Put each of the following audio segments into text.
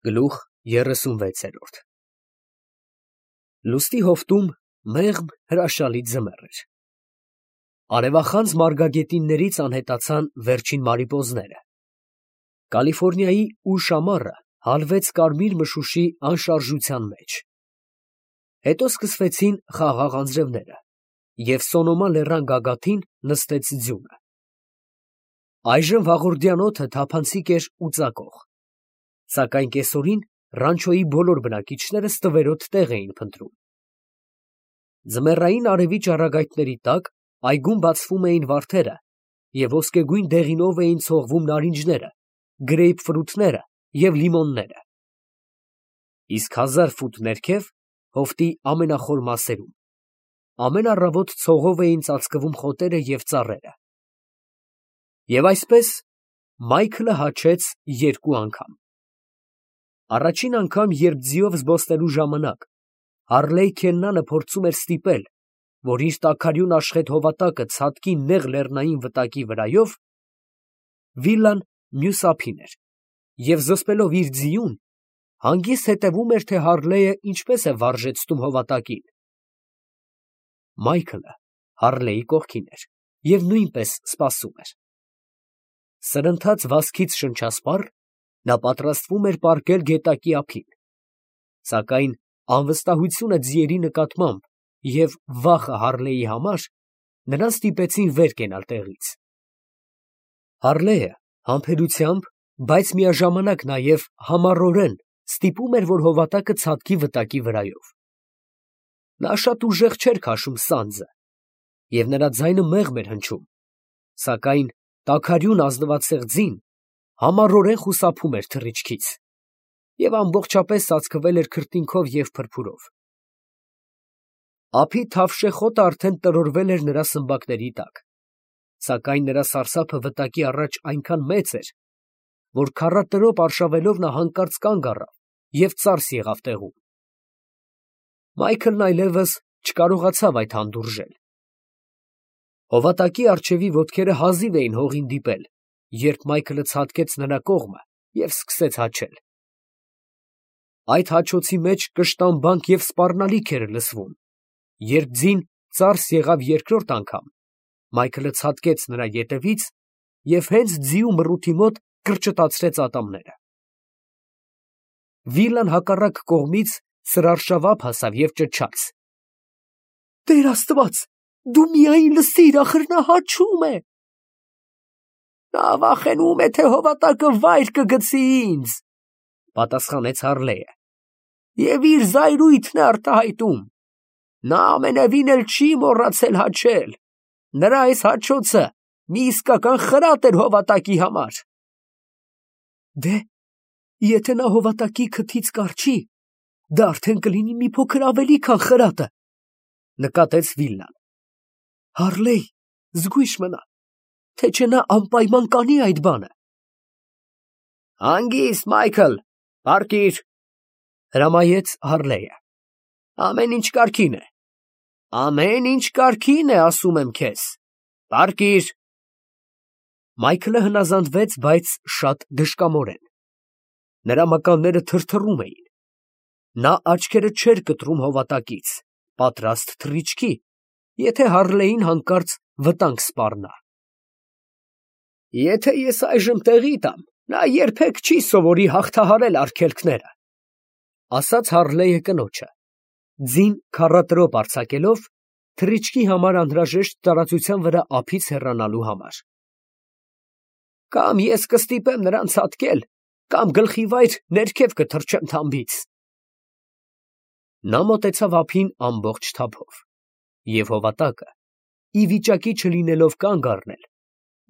Գլուխ 36 Լուստի հովտում մեղմ հրաշալի ձմեռ էր։ Արևախանձ մարգագետիններից անհետացան վերջին մարիպոզները։ Կալիֆոռնիայի ուշ ամառը հալվեց կարմիր մշուշի անշարժության մեջ։ Հետո սկսվեցին խաղաղ անձրևները, և Սոնոմա լեռան գագաթին նստեց ձյունը։ Այժմ վաղորդյան օդը թափանցիկ էր ու ծակող, սակայն կեսօրին Ռանչոյի բոլոր բնակիչները ստվերոտ տեղ էին փնտրում։ Ձմեռային արևի ճառագայթների տակ այգում բացվում էին վարդերը և ոսկեգույն դեղինով էին ցողվում նարինջները, գրեյպֆրութները և լիմոնները։ Իսկ 1000 ֆուտ ներքև, հովտի ամենախոր մասերում, ամեն առավոտ ցողով էին ծածկվում խոտերը և ծառերը։ Եվ այսպես Մայքլը հաչեց 2 անգամ։ Առաջին անգամ, երբ ձիով զբոսնելու ժամանակ Հարլեյ Քեննանը փորձում էր ստիպել, որ իր տաքարյուն աշխեհ հովատակը ցատկի նեղ լեռնային վտակի վրայով, վիլան մյուս ափին էր, և զսպելով իր ձիուն, հանգիստ հետևում էր, թե Հարլեյը ինչպես է վարժեցնում հովատակին։ Մայքլը Հարլեյի կողքին էր և նույնպես սպասում էր։ Սրընթաց վազքից շնչասպառ, նա պատրաստվում էր պառկել գետակի ափին, սակայն անվստահությունը ձիերի նկատմամբ և վախը Հարլեյի համար նրան ստիպեցին վեր կենալ տեղից։ Հարլեյը համբերությամբ, բայց միաժամանակ նաև համառորեն ստիպում էր, որ հովատակը ցատկի վտակի վրայով։ Նա շատ ուժեղ չէր քաշում սանձը, և նրա ձայնը մեղմ էր հնչում, սակայն տաքարյուն ազնվացեղ ձին համառորեն խուսափում էր թռիչքից և ամբողջապես ծածկվել էր քրտինքով և փրփուրով։ Ափի թավշե խոտը արդեն տրորվել էր նրա սմբակների տակ, սակայն նրա սարսափը վտակի առաջ այնքան մեծ էր, որ քառատրոպ արշավելով նա հանկարծ կանգ առավ և ծարս եղավ տեղում։ Մայքլն այլևս չկարողացավ այդ հանդուրժել։ Հովատակի առջևի ոտքերը հազիվ էին հողին դիպել, երբ Մայքլը ցատկեց նրա կողմը և սկսեց հաչել։ Այդ հաչոցի մեջ կշտամբանք և սպառնալիք էր լսվում, երբ ձին ծարս եղավ երկրորդ անգամ, Մայքլը ցատկեց նրա ետևից և հենց ձիու մռութի մոտ կրճտացրեց ատամները։ Վիլան հակառակ կողմից սրարշավապ հասավ և ճչաց. «Տեր Աստված, դու միայն լսիր, ախր նա հաչում է»։ «Նա վախենում է, թե հովատակը վայր կգցի ինձ», պատասխանեց Հարլեյը, «և իր զայրույթն է արտահայտում։ Նա ամենևին էլ չի մոռացել հաչել. նրա այս հաչոցը մի իսկական խրատ էր հովատակի համար»։ «Դե, եթե նա հովատակի քթից կառչի, դա արդեն կլինի մի փոքր ավելի, քան խրատը», նկատեց Վիլան։ «Հարլեյ, զգույշ մնա, թե չէ նա անպայման կանի այդ բանը»։ «Հանգիստ, Մայքլ, պառկիր», հրամայեց Հարլեյը։ «Ամեն ինչ կարգին է։ Ամեն ինչ կարգին է, ասում եմ քեզ, պառկիր»։ Մայքլը հնազանդվեց, բայց շատ դժկամորեն։ Նրա մկանները թրթռում էին։ Նա աչքերը չէր կտրում հովատակից, պատրաստ թռիչքի, եթե Հարլեյին հանկարծ վտանգ սպառնա։ «Եթե ես այժմ տեղի տամ, նա երբեք չի սովորի հաղթահարել արգելքները», ասաց Հարլեյը կնոջը, ձին քառատրոպ արձակելով, թռիչքի համար անհրաժեշտ տարածության վրա ափից հեռանալու համար։ «Կամ ես կստիպեմ նրան ցատկել, կամ գլխիվայր ներքև կթռչեմ թամբից»։ Նա մոտեցավ ափին ամբողջ թափով, և հովատակը, ի վիճակի չլինելով կանգ առնել,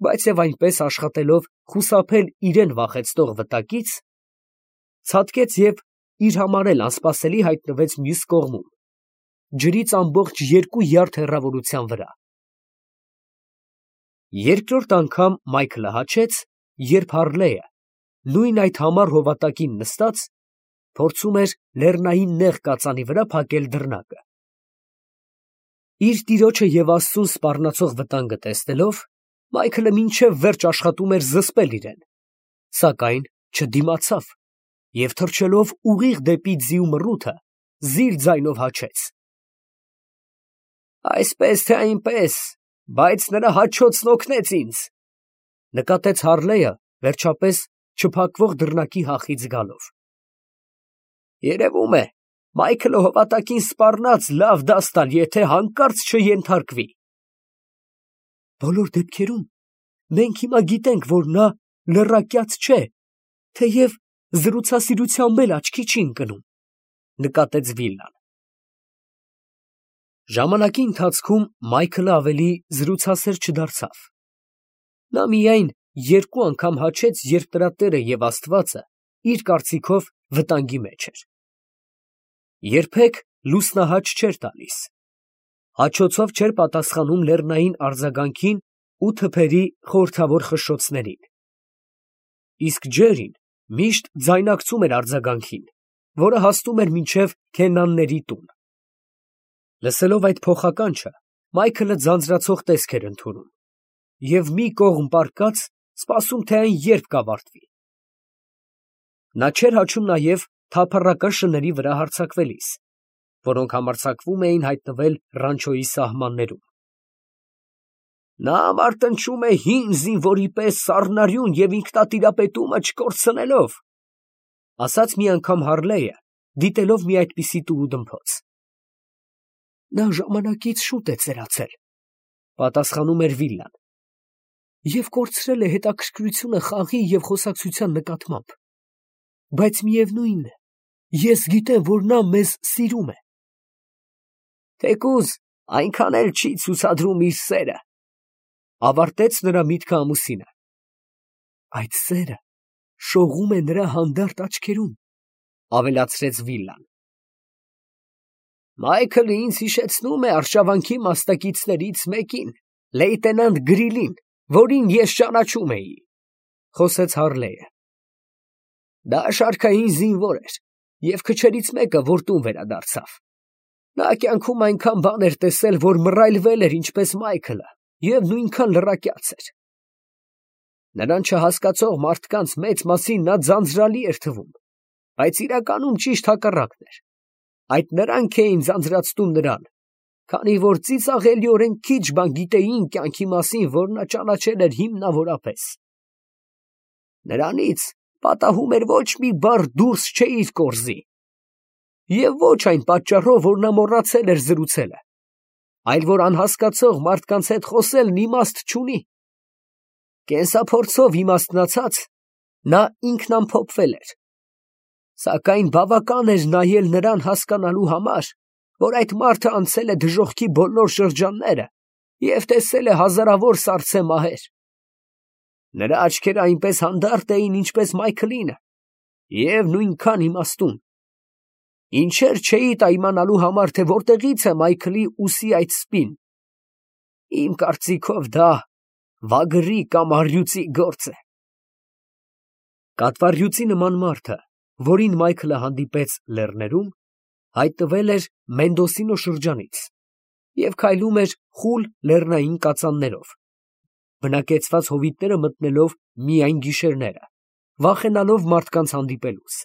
բայց և այնպես աշխատելով խուսափել իրան վախեցնող վտակից, ցատկեց և իր համար էլ անսպասելի հայտնվեց մյուս կողմում, ջրից ամբողջ 2 յարդ հեռավորության վրա։ Երկրորդ անգամ Մայքլը հաչեց, երբ Հարլեյը, նույն այդ համառ հովատակին նստած, փորձում էր լեռնային նեղ կածանի վրա փակել դռնակը։ Իր տիրոջը և Աստծուն սպառնացող վտանգը տեսնելով, Մայքլը մինչև վերջ աշխատում էր զսպել իրեն, սակայն չդիմացավ և թռչելով ուղիղ դեպի ձիու մռութը, զիր ձայնով հաչեց. «Այսպես թե այնպես, բայց նրա հաչոցն օգնեց ինձ», նկատեց Հառլեյը, վերջապես չփակվող դռնակի հախից գալով։ «Երևում է, Մայքլը հովատակին սպառնաց լավ դաս տալ, եթե հանկարծ չենթարկվի»։ «Բոլոր դեպքերում մենք հիմա գիտենք, որ նա լռակյաց չէ, թեև զրուցասիրությամբ էլ աչքի չի ընկնում», նկատեց Վիլան։ Ժամանակի ընթացքում Մայքլը ավելի զրուցասեր չդարձավ։ Նա միայն երկու անգամ հաչեց, երբ նրա տերը և Աստվածը իր կարծիքով վտանգի մեջ էր։ Երբեք լուսնահաչ չէր տալիս։ Հաչոցով չէր պատասխանում լեռնային արձագանքին ու թփերի խորհրդավոր խշշոցներին։ Իսկ ջերին միշտ ձայնակցում էր արձագանքին, որը հասնում էր մինչև քենանների տուն։ Լսելով այդ փոխականչը, Մայքլը ձանձրացող տեսք էր ընդունում և մի կողմ պառկած սպասում, թե այն երբ կավարտվի։ Նա չէր հաչում նաև թափառական շների վրա հարձակվելիս, որոնք համարձակվում էին հայտնվել ռանչոյի սահմաններում։ «Նա մարտնչում է հին զինվորի պես սառնարյուն և ինքնատիրապետումը չկորցնելով», ասաց մի անգամ Հառլեյը, դիտելով մի այդպիսի տուրուդմփոց։ «Նա ժամանակից շուտ է ծերացել», պատասխանում էր Վիլան, «և կորցրել է հետաքրքրությունը խաղի և խոսակցության նկատմամբ, բայց միևնույն է, ես գիտեմ, որ նա մեզ սիրում է»։ «Թեկուզ այնքան էլ չի ցուցադրում իր սերը», ավարտեց նրա միտքը ամուսինը։ «Այդ սերը շողում է նրա հանդարտ աչքերում», ավելացրեց Վիլան։ «Մայքլը ինձ հիշեցնում է արշավանքի մասնակիցներից մեկին, լեյտենանտ Գրիլին, որին ես ճանաչում էի», խոսեց Հառլեյը։ «Դա շարքային զինվոր էր և քչերից մեկը, որ տուն վերադարձավ։ Նա կյանքում այնքան բան էր տեսել, որ մռայլվել էր ինչպես Մայքլը և նույնքան լռակյաց էր։ Նրան չհասկացող մարդկանց մեծ մասին նա ձանձրալի էր թվում, բայց իրականում ճիշտ հակառակն էր։ Այդ նրանք էին ձանձրացնում նրան, քանի որ ծիծաղելիորեն քիչ բան գիտեին կյանքի մասին, որ նա ճանաչել էր հիմնավորապես։ Նրանից պատահում էր ոչ մի բառ դուրս չէիր կորզի, և ոչ այն պատճառով, որ նա մոռացել էր զրուցելը, այլ որ անհասկացող մարդկանց հետ խոսելն իմաստ չունի։ Կենսափորձով իմաստնացած, նա ինքնամփոփվել էր, սակայն բավական էր նայել նրան հասկանալու համար, որ այդ մարդը անցել է դժոխքի բոլոր շրջանները և տեսել է հազարավոր սառցե մահեր։ Նրա աչքերը այնպես հանդարտ էին, ինչպես Մայքլինը, և նույնքան իմաստուն։ Ինչեր չէի տա իմանալու համար, թե որտեղից է Մայքլի ուսի այդ սպին։ Իմ կարծիքով դա վագրի կամ առյուծի գործ է։ Կատվառյուծի նման մարդը, որին Մայքլը հանդիպեց լեռներում, հայտնվել էր Մենդոսինո շրջանից և քայլում էր խուլ լեռնային կածաններով, բնակեցված հովիտները մտնելով միայն գիշերները, վախենալով մարդկանց հանդիպելուց։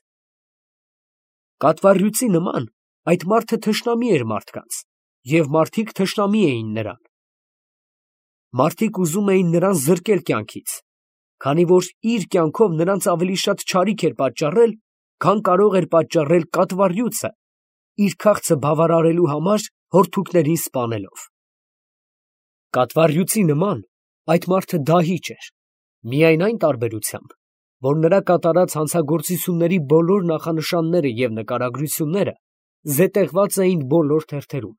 Կատվառյուծի նման այդ մարդը թշնամի էր մարդկանց, և մարդիկ թշնամի էին նրան։ Մարդիկ ուզում էին նրան զրկել կյանքից, քանի որ իր կյանքով նրանց ավելի շատ չարիք էր պատճառել, քան կարող էր պատճառել կատվառյուծը, իր քաղցը բավարարելու համար հորդուկներին սպանելով։ Կատվառյուծի նման այդ մարդը դահիճ էր, միայն այն տարբերությամբ, որ նրա կատարած հանցագործությունների բոլոր նախանշանները և նկարագրությունները զետեղված էին բոլոր թերթերում,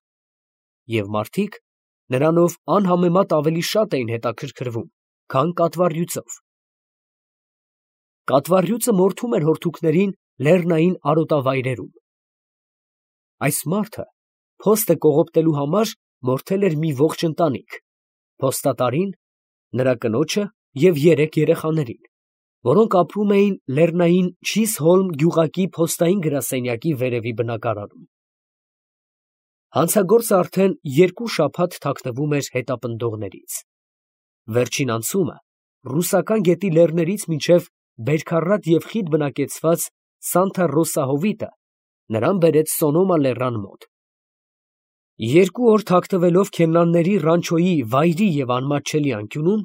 և մարդիկ նրանով անհամեմատ ավելի շատ էին հետաքրքրվում, քան կատվառյուծով։ Կատվառյուծը մորթում էր հորդուկներին լեռնային արոտավայրերում։ Այս մարդը փոստը կողոպտելու համար մորթել էր մի ողջ ընտանիք, փոստատարին, նրա կնոջը և 3 երեխաներին, որոնք ապրում էին լեռնային Չիզհոլմ գյուղակի փոստային գրասենյակի վերևի բնակարանում։ Հանցագործը արդեն 2 շաբաթ թաքնվում էր հետապնդողներից։ Վերջին անցումը ռուսական գետի լեռներից մինչև Բերքառատ և խիտ բնակեցված Սանթա Ռոսա հովիտը նրան բերեց Սոնոմա լեռան մոտ։ 2 օր թաքնվելով քեննանների ռանչոյի վայրի և անմատչելի անկյունում,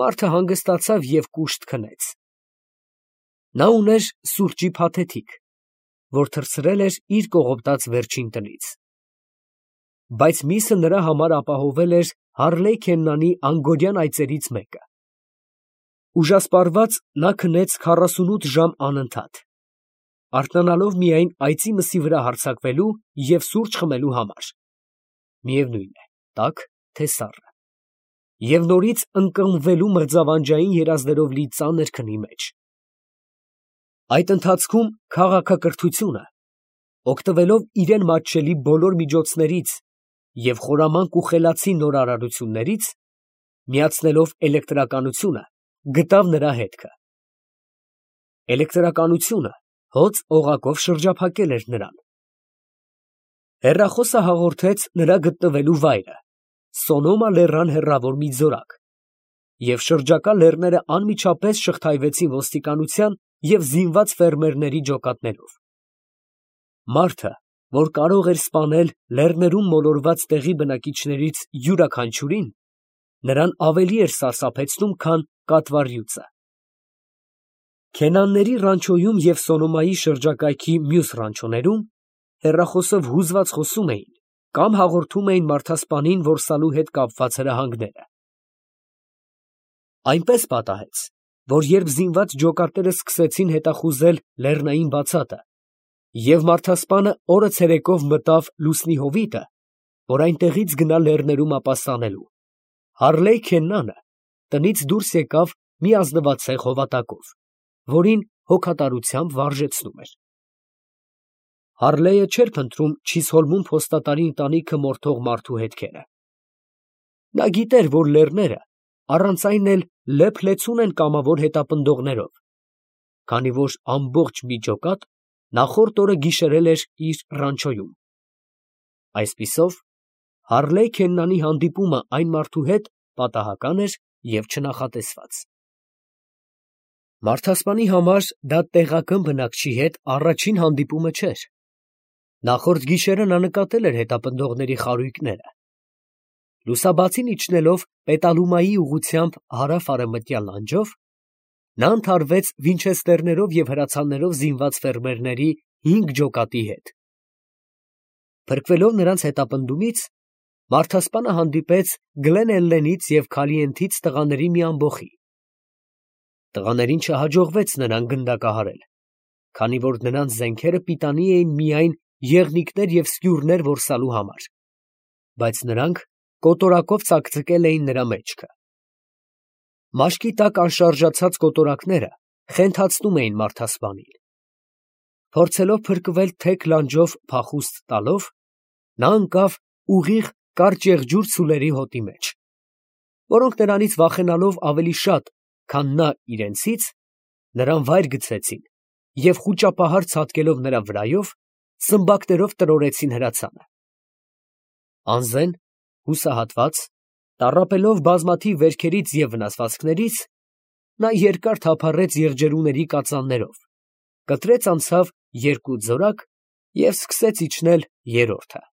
մարդը հանգստացավ և կուշտ քնեց։ Նա ուներ սուրճի փաթեթիկ, որ թռցրել էր իր կողոպտած վերջին տնից։ Բայց միսը նրա համար ապահովել էր Հարլեյ Քեննանի անգորյան այծերից մեկը։ Ուժասպառված նա քնեց 48 ժամ անընդհատ, արթնանալով միայն այծի մսի վրա հարձակվելու և սուրճ խմելու համար, միևնույն է, տաք, թե սառը, և նորից ընկղմվելու մղձավանջային երազներով լի ծանր քնի մեջ։ Այդ ընթացքում քաղաքակրթությունը, օգտվելով իրան մատչելի բոլոր միջոցներից և խորամանկ ու խելացի նորարարություններից, միացնելով էլեկտրականությունը, գտավ նրա հետքը։ Էլեկտրականությունը հոծ օղակով շրջափակել էր նրան։ Հեռախոսը հաղորդեց նրա գտնվելու վայրը՝ Սոնոմա լեռան հեռավոր մի ձորակ, և շրջակա լեռները անմիջապես շղթայվեցին ոստիկանության և զինված ֆերմերների ջոկատներով։ Մարդը, որ կարող էր սպանել լեռներում մոլորված տեղի բնակիչներից յուրաքանչյուրին, նրան ավելի էր սարսափեցնում, քան կատվառյուծը։ Քենանների ռանչոյում և Սոնոմայի շրջակայքի մյուս ռանչոներում հեռախոսով հուզված խոսում էին կամ հաղորդում էին մարդասպանին որսալու հետ կապված հրահանգները։ Այնպես պատահեց, որ երբ զինված ջոկատները սկսեցին հետախուզել լեռնային բացատը, և մարդասպանը օրը ցերեկով մտավ լուսնի հովիտը, որ այնտեղից գնա լեռներում ապաստանելու, Հարլեյ Քեննանը տնից դուրս եկավ մի ազնվացեղ հովատակով, որին հոգատարությամբ վարժեցնում էր։ Հարլեյը չէր փնտրում Չիսհոլմում փոստատարի ընտանիքը մորթող մարդու հետքերը։ Նա գիտեր, որ լեռները առանց այն էլ լեփ-լեցուն են կամավոր հետապնդողներով, քանի որ ամբողջ մի ջոկատ նախորդ օրը գիշերել էր իր ռանչոյում։ Այսպիսով, Հարլեյ Քեննանի հանդիպումը այն մարդու հետ պատահական էր և չնախատեսված։ Մարդասպանի համար դա տեղական բնակչի հետ առաջին հանդիպումը չէր։ Նախորդ գիշերը նա նկատել էր հետապնդողների խարույկները։ Լուսաբացին իջնելով Պետալումայի ուղղությամբ հարավ֊արևմտյան լանջով, նա ընդհարվեց վինչեստերներով և հրացաններով զինված ֆերմերների 5 ջոկատի հետ։ Փրկվելով նրանց հետապնդումից, մարդասպանը հանդիպեց Գլեն Էլլենից և Քալիենթից տղաների մի ամբոխի։ Տղաներին չհաջողվեց նրան գնդակահարել, քանի որ նրանց զենքերը պիտանի էին միայն եղնիկներ և սկյուրներ որսալու համար, բայց նրանք կոտորակով ծակծկել էին նրա մեջքը։ Մաշկի տակ անշարժացած կոտորակները խենթացնում էին մարդասպանին։ Փորձելով փրկվել թեք լանջով փախուստ տալով, նա ընկավ ուղիղ կարճ եղջյուր ցուլերի հոտի մեջ, որոնք նրանից վախենալով ավելի շատ, քան նա իրենցից, նրան վայր գցեցին և խուճապահար ցատկելով նրա վրայով, սմբակներով տրորեցին հրացանը։ Անզեն, հուսահատված, տառապելով բազմաթիվ վերքերից և վնասվածքներից, նա երկար թափառեց եղջերուների կածաններով, կտրեց անցավ 2 ձորակ և սկսեց իջնել 3-րդը։